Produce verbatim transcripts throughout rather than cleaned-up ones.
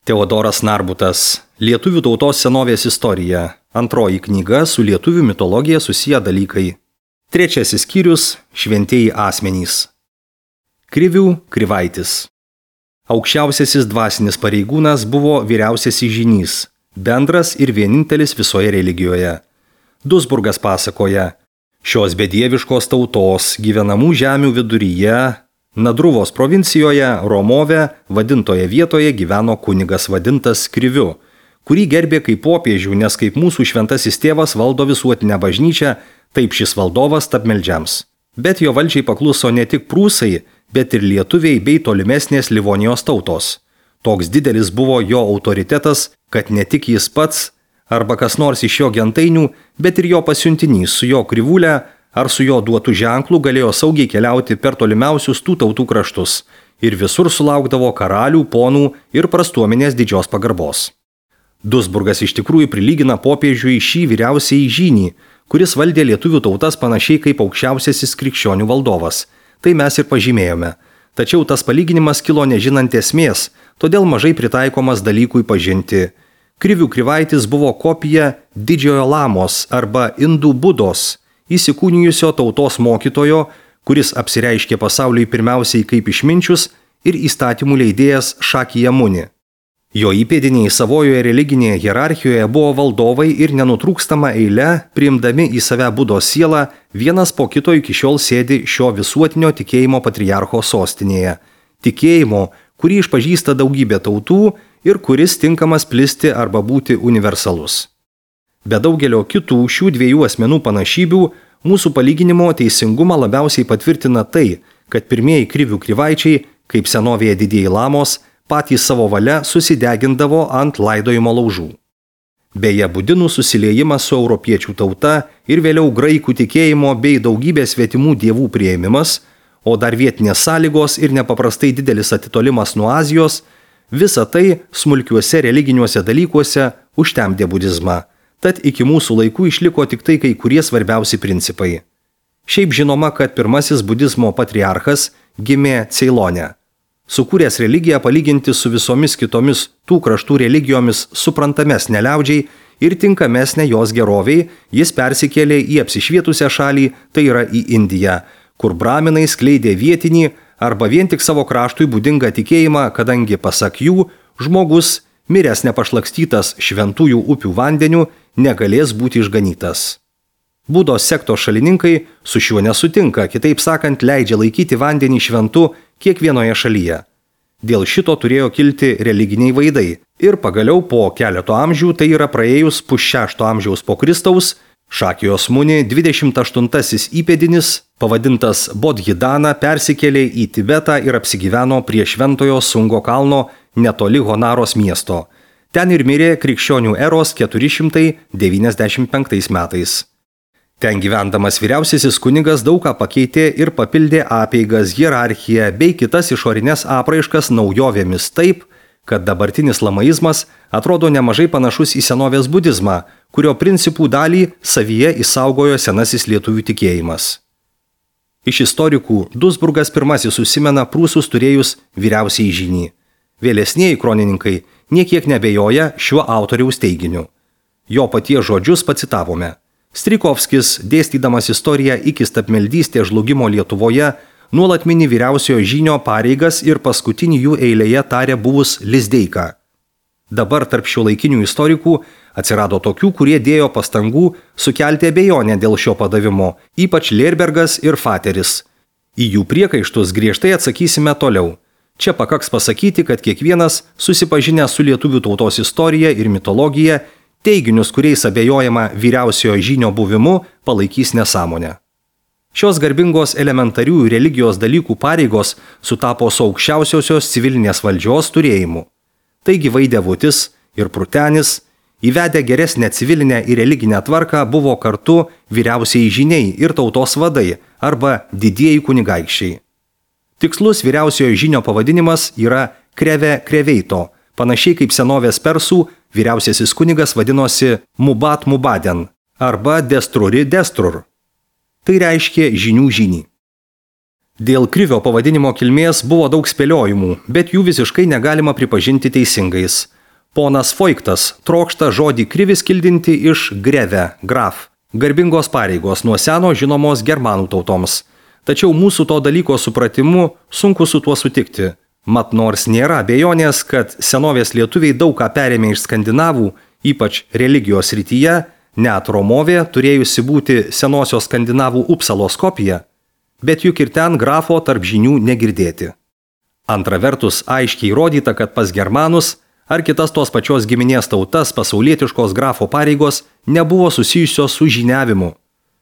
Teodoras Narbutas. Lietuvių tautos senovės istorija. Antroji knyga su lietuvių mitologija susiję dalykai. Trečiasis skyrius – šventieji asmenys. Krivių Krivaitis. Aukščiausiasis dvasinis pareigūnas buvo vyriausiasis žynys, bendras ir vienintelis visoje religijoje. Duisburgas pasakoja, šios bedieviškos tautos gyvenamų žemių viduryje, Nadruvos provincijoje, Romove, vadintoje vietoje gyveno kunigas vadintas Kriviu, kurį gerbė kaip popiežių, nes kaip mūsų šventasis tėvas valdo visuotinę bažnyčią, taip šis valdovas tapmeldžiams. Bet jo valdžiai pakluso ne tik prūsai, bet ir lietuviai bei tolimesnės Livonijos tautos. Toks didelis buvo jo autoritetas, kad ne tik jis pats, arba kas nors iš jo gentainių, bet ir jo pasiuntinys su jo krivūle ar su jo duotų ženklų galėjo saugiai keliauti per tolimiausius tų tautų kraštus ir visur sulaukdavo karalių, ponų ir prastuomenės didžios pagarbos. Duisburgas iš tikrųjų prilygina popiežiui šį vyriausiąjį žynį, kuris valdė lietuvių tautas panašiai kaip aukščiausiasis krikščionių valdovas. Tai mes ir pažymėjome. Tačiau tas palyginimas kilo nežinant esmės, todėl mažai pritaikomas dalykui pažinti. Krivių Krivaitis buvo kopija didžiojo lamos arba indų budos, įsikūnijusio tautos mokytojo, kuris apsireiškė pasauliui pirmiausiai kaip išminčius ir įstatymų leidėjas Šakija Muni. Jo įpėdiniai savojoje religinėje hierarchijoje buvo valdovai ir nenutrūkstama eile, priimdami į save budos sielą, vienas po kito iki šiol sėdi šio visuotinio tikėjimo patriarcho sostinėje. Tikėjimo, kurį išpažįsta daugybė tautų ir kuris tinkamas plisti arba būti universalus. Be daugelio kitų šių dviejų asmenų panašybių, mūsų palyginimo teisingumą labiausiai patvirtina tai, kad pirmieji Krivių Krivaičiai, kaip senovėje didieji lamos, patys savo valia susidegindavo ant laidojimo laužų. Beje, budinų susiliejimas su europiečių tauta ir vėliau graikų tikėjimo bei daugybės svetimų dievų priėmimas, o dar vietinės sąlygos ir nepaprastai didelis atitolimas nuo Azijos, visa tai smulkiuose religiniuose dalykuose užtemdė budizmą. Tad iki mūsų laikų išliko tik tai kai kurie svarbiausi principai. Šiaip žinoma, kad pirmasis budizmo patriarchas gimė Ceilone. Sukūręs religiją palyginti su visomis kitomis tų kraštų religijomis suprantamesnė liaudžiai ir tinkamesnė jos geroviai, jis persikėlė į apsišvietusią šalį, tai yra į Indiją, kur braminai skleidė vietinį arba vien tik savo kraštui būdingą tikėjimą, kadangi pasak jų žmogus, miręs nepašlakstytas šventųjų upių vandeniu, negalės būti išganytas. Budos sektos šalininkai su šiuo nesutinka, kitaip sakant, leidžia laikyti vandenį šventu kiekvienoje šalyje. Dėl šito turėjo kilti religiniai vaidai ir pagaliau po keleto amžių, tai yra praėjus pusšešto amžiaus po Kristaus, Šakijos Muni dvidešimt aštuntasis įpėdinis, pavadintas Bodhidana, persikėlė į Tibetą ir apsigyveno prie šventojo Sungo kalno netoli Honaros miesto. Ten ir mirė krikščionių eros keturi šimtai devyniasdešimt penktais metais. Ten gyvendamas vyriausiasis kunigas daug ką pakeitė ir papildė apeigas, hierarchiją bei kitas išorinės apraiškas naujovėmis taip, kad dabartinis lamaizmas atrodo nemažai panašus į senovės budizmą, kurio principų dalį savyje išsaugojo senasis lietuvių tikėjimas. Iš istorikų Duisburgas pirmasis užsimena prūsus turėjus vyriausiąjį žynį. Vėlesnieji kronininkai niekiek nebejoja šiuo autoriaus teiginiu. Jo paties žodžius pacitavome. Strijkovskis, dėstydamas istoriją iki stabmeldystės žlugimo Lietuvoje, nuolat mini vyriausiojo žynio pareigas ir paskutinį jų eilėje tarė buvus Lizdeika. Dabar tarp šiuolaikinių istorikų atsirado tokių, kurie dėjo pastangų sukelti abejonę dėl šio padavimo, ypač Lerbergas ir Fateris. Į jų priekaištus griežtai atsakysime toliau. Čia pakaks pasakyti, kad kiekvienas, susipažinęs su lietuvių tautos istorija ir mitologija, teiginius, kuriais abejojama vyriausiojo žynio buvimu, palaikys nesąmonę. Šios garbingos elementarių religijos dalykų pareigos sutapo su aukščiausiosios civilinės valdžios turėjimu. Taigi Vaidevutis ir Prutenis, įvedę geresnę civilinę ir religinę tvarką, buvo kartu vyriausiai žyniai ir tautos vadai arba didieji kunigaikščiai. Tikslus vyriausiojo žynio pavadinimas yra Kreve Kreveito, panašiai kaip senovės persų vyriausiasis kunigas vadinosi Mubat Mubaden arba Destruri Destrur. Tai reiškia žynių žynį. Dėl Krivio pavadinimo kilmės buvo daug spėliojimų, bet jų visiškai negalima pripažinti teisingais. Ponas Foiktas trokšta žodį krivis kildinti iš greve, graf, garbingos pareigos nuo seno žinomos germanų tautoms. Tačiau mūsų to dalyko supratimu sunku su tuo sutikti. Mat nors nėra abejonės, kad senovės lietuviai daug ką perėmė iš skandinavų, ypač religijos srityje, net Romovė turėjusi būti senosios skandinavų Upsalos kopija, bet juk ir ten grafo tarp žinių negirdėti. Antra vertus, aiškiai įrodyta, kad pas germanus ar kitas tos pačios giminės tautas pasaulietiškos grafo pareigos nebuvo susijusios su žiniavimu.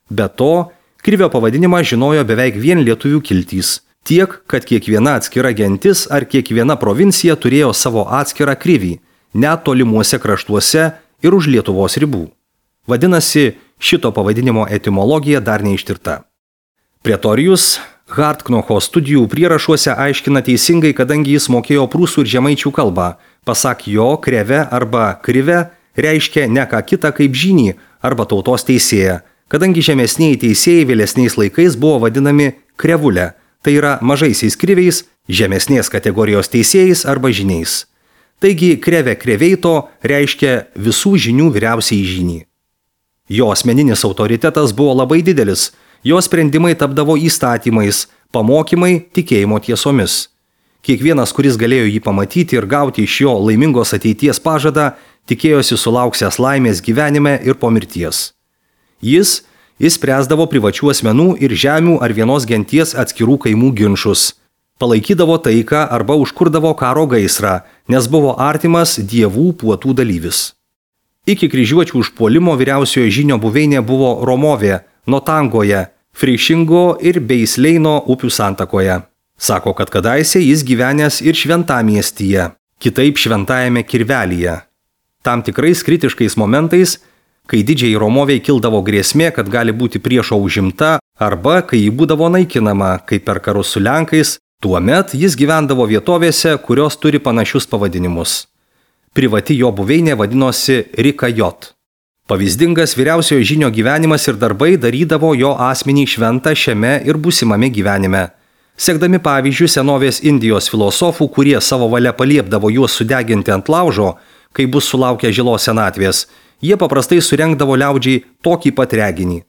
Be to, krivio pavadinimą žinojo beveik vien lietuvių kiltys, tiek, kad kiekviena atskira gentis ar kiekviena provincija turėjo savo atskirą krivį, net tolimuose kraštuose ir už Lietuvos ribų. Vadinasi, šito pavadinimo etimologija dar neištirta. Pretorijus Hartknocho studijų prierašuose aiškina teisingai, kadangi jis mokėjo prūsų ir žemaičių kalbą. Pasak jo, kreve arba krive reiškia ne ką kitą kaip žynį arba tautos teisėją, kadangi žemesniai teisėjai vėlesniais laikais buvo vadinami krevulė, tai yra mažaisiais kriviais, žemesnės kategorijos teisėjais arba žyniais. Taigi kreve kreveito reiškia visų žinių vyriausiai žynį. Jo asmeninis autoritetas buvo labai didelis, jo sprendimai tapdavo įstatymais, pamokymai tikėjimo tiesomis. Kiekvienas, kuris galėjo jį pamatyti ir gauti iš jo laimingos ateities pažadą, tikėjosi sulauksęs laimės gyvenime ir po mirties. Jis išspręsdavo privačių asmenų ir žemių ar vienos genties atskirų kaimų ginčus, palaikydavo taiką arba užkurdavo karo gaisrą, nes buvo artimas dievų puotų dalyvis. Iki kryžiuočių užpuolimo vyriausiojo žynio buveinė buvo Romovė, Notangoje, Frišingo ir Beisleino upių santakoje. Sako, kad kadaise jis gyvenęs ir Šventamiestyje, kitaip Šventajame Kirvelyje. Tam tikrais kritiškais momentais, kai didžiai Romovei kildavo grėsmė, kad gali būti priešo užimta, arba kai ji būdavo naikinama, kaip per karus su Lenkais, tuomet jis gyvendavo vietovėse, kurios turi panašius pavadinimus. Privati jo buveinė vadinosi Rikajot. Pavyzdingas vyriausiojo žynio gyvenimas ir darbai darydavo jo asmenį šventą šiame ir būsimame gyvenime. Sekdami pavyzdžių senovės Indijos filosofų, kurie savo valia paliepdavo juos sudeginti ant laužo, kai bus sulaukę žilos senatvės, jie paprastai surengdavo liaudžiai tokį pat reginį.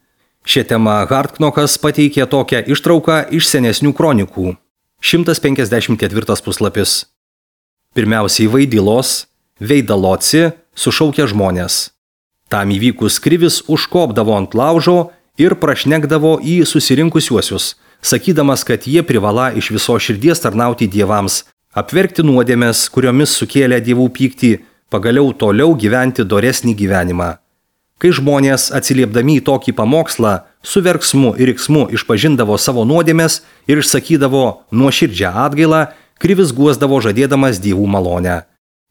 Šią temą Hartknochas pateikė tokią ištrauką iš senesnių kronikų. šimtas penkiasdešimt ketvirtas puslapis. Pirmiausiai Vaidilos, Veidaloci sušaukė žmonės. Tam įvykus krivis užkopdavo ant laužo ir prašnekdavo į susirinkusiuosius, sakydamas, kad jie privala iš viso širdies tarnauti dievams, apverkti nuodėmes, kuriomis sukėlė dievų pyktį, pagaliau toliau gyventi doresnį gyvenimą. Kai žmonės, atsiliepdami į tokį pamokslą, su verksmu ir riksmu išpažindavo savo nuodėmes ir išsakydavo nuoširdžią atgailą, krivis guosdavo žadėdamas dievų malonę.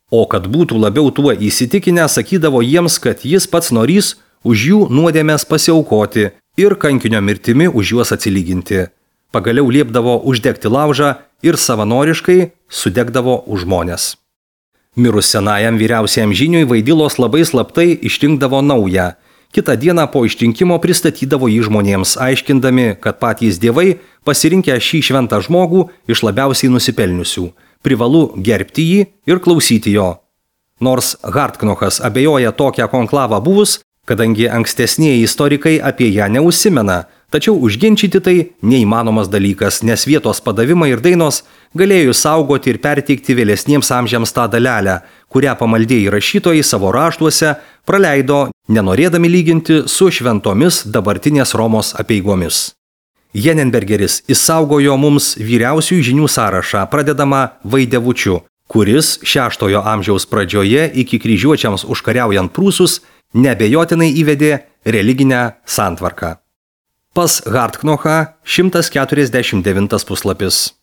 O kad būtų labiau tuo įsitikinę, sakydavo jiems, kad jis pats norys už jų nuodėmes pasiaukoti ir kankinio mirtimi už juos atsilyginti. Pagaliau liepdavo uždegti laužą ir savanoriškai sudegdavo už žmones. Mirus senajam vyriausiajam žyniui Vaidilos labai slaptai išrinkdavo naują. Kitą dieną po išrinkimo pristatydavo jį žmonėms, aiškindami, kad patys dievai pasirinkę šį šventą žmogų iš labiausiai nusipelniusių. Privalu gerbti jį ir klausyti jo. Nors Hartknochas abejoja tokią konklavą buvus, kadangi ankstesnieji istorikai apie ją neužsimena, tačiau užginčyti tai neįmanomas dalykas, nes vietos padavimai ir dainos galėjo saugoti ir perteikti vėlesniems amžiams tą dalelę, kurią pamaldėjai rašytojai savo raštuose praleido, nenorėdami lyginti su šventomis dabartinės Romos apeigomis. Jenenbergeris išsaugojo mums vyriausiųjų žinių sąrašą, pradedamą Vaidevučiu, kuris šeštojo amžiaus pradžioje iki kryžiuočiams užkariaujant prūsus neabejotinai įvedė religinę santvarką. Pas Hartknochą šimtas keturiasdešimt devintas puslapis.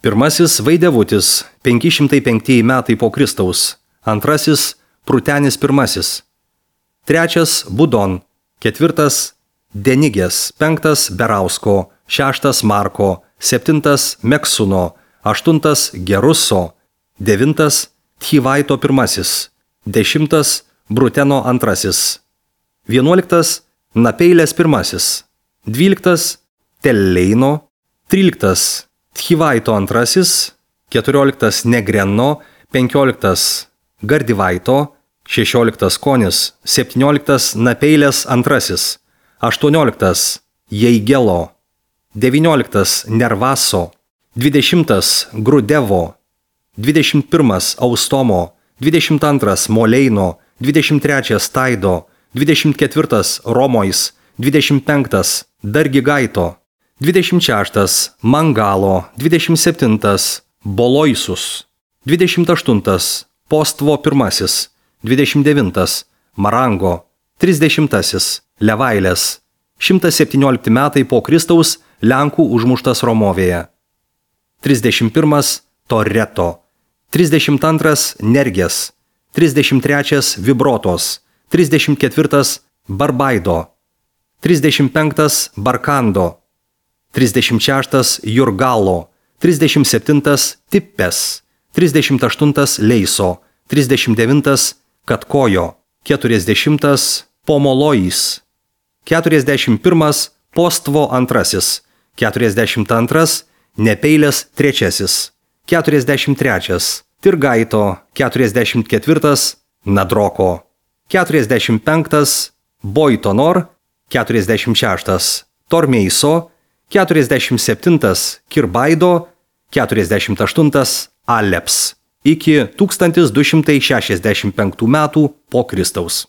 Pirmasis Vaidevutis, penki šimtai penktieji metai po Kristaus. Antrasis Prūtenis pirmasis. Trečias Budon. Ketvirtas Denigės. Penktas Berausko. Šeštas Marko. Septintas Meksuno. Aštuntas Geruso. Devintas Tchivaito pirmasis. Dešimtas Bruteno antrasis. Vienuoliktas Napeilės pirmasis. Dvyliktas Telleino. Tryliktas Tchivaito antrasis. Keturioliktas Negreno. Penkioliktas Gardivaito, šešioliktas Konis, septynioliktas Napeilės antrasis, aštuonioliktas Jeigelo, devynioliktas Nervaso, dvidešimtas Grudevo, dvidešimt pirmas Austomo, dvidešimt antras Moleino, dvidešimt trečias Taido, dvidešimt ketvirtas Romois, dvidešimt penktas Dargigaito, dvidešimt šeštas Mangalo, dvidešimt septintas Boloisus, dvidešimt aštuntas Postvo pirmasis, dvidešimt devintas Marango, trisdešimtasis Levailės, šimtas septyniolikti metai po Kristaus Lenkų užmuštas Romovėje, trisdešimt pirmas Toreto, trisdešimt antras Nergės, trisdešimt trečias Vibrotos, trisdešimt ketvirtas Barbaido, trisdešimt penktas Barkando, trisdešimt šeštas Jurgalo, trisdešimt septintas Tippės, trisdešimt aštuntas Leiso, trisdešimt devintas Katkojo, keturiasdešimtas Pomolojis, keturiasdešimt pirmas Postvo antrasis, keturiasdešimt antras Nepeilės trečiasis, keturiasdešimt trečias Tirgaito, keturiasdešimt ketvirtas Nadroko, keturiasdešimt penktas Boitonor, keturiasdešimt šeštas Tormeiso, keturiasdešimt septintas Kirbaido, keturiasdešimt aštuntas Aleps iki tūkstantis du šimtai šešiasdešimt penktų metų po Kristaus.